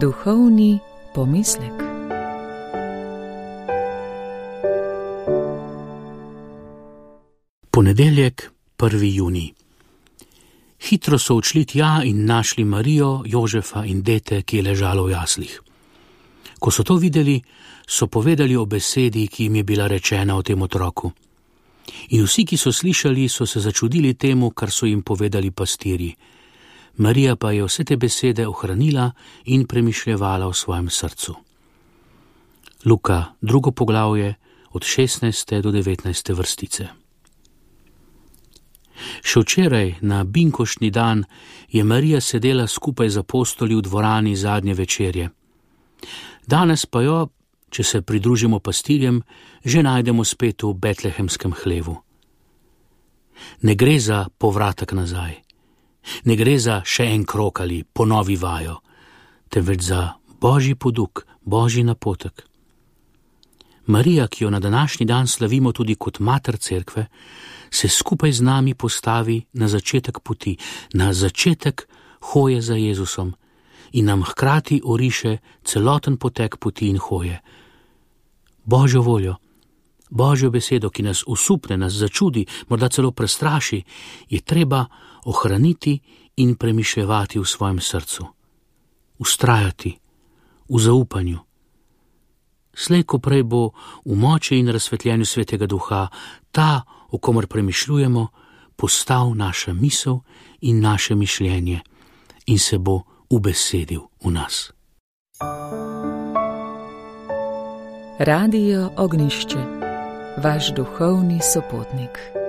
Duhovni pomislek. Ponedeljek, 1. junij. Hitro so odšli tja in našli Marijo, Jožefa in dete, ki je ležalo v jaslih. Ko so to videli, so povedali o besedi, ki jim je bila rečena o tem otroku. In vsi, ki so slišali, so se začudili temu, kar so jim povedali pastirji. Marija pa je vse te besede ohranila in premišljevala v svojem srcu. Luka, 2. poglavje, od 16. do 19. vrstice. Še včeraj, na binkoštni dan, je Marija sedela skupaj z apostoli v dvorani zadnje večerje. Danes pa jo, če se pridružimo pastirjem, že najdemo spet v betlehemskem hlevu. Ne gre za povratek nazaj, ne gre za še en krog ali ponovi vajo, temveč za Božji poduk, Božji napotek. Marija, ki jo na današnji dan slavimo tudi kot mater cerkve, se skupaj z nami postavi na začetek poti, na začetek hoje za Jezusom in nam hkrati oriše celoten potek poti in hoje. Božjo voljo, Božjo besedo, ki nas usupne, nas začudi, morda celo prestraši, je treba ohraniti in premišljevati v svojem srcu. Vztrajati v zaupanju. Slej ko prej bo v moči in razsvetljenju Svetega Duha ta, o komer premišljujemo, postal naša misel in naše mišljenje in se bo ubesedil v nas. Radio Ognjišče, vaš duhovni sopotnik.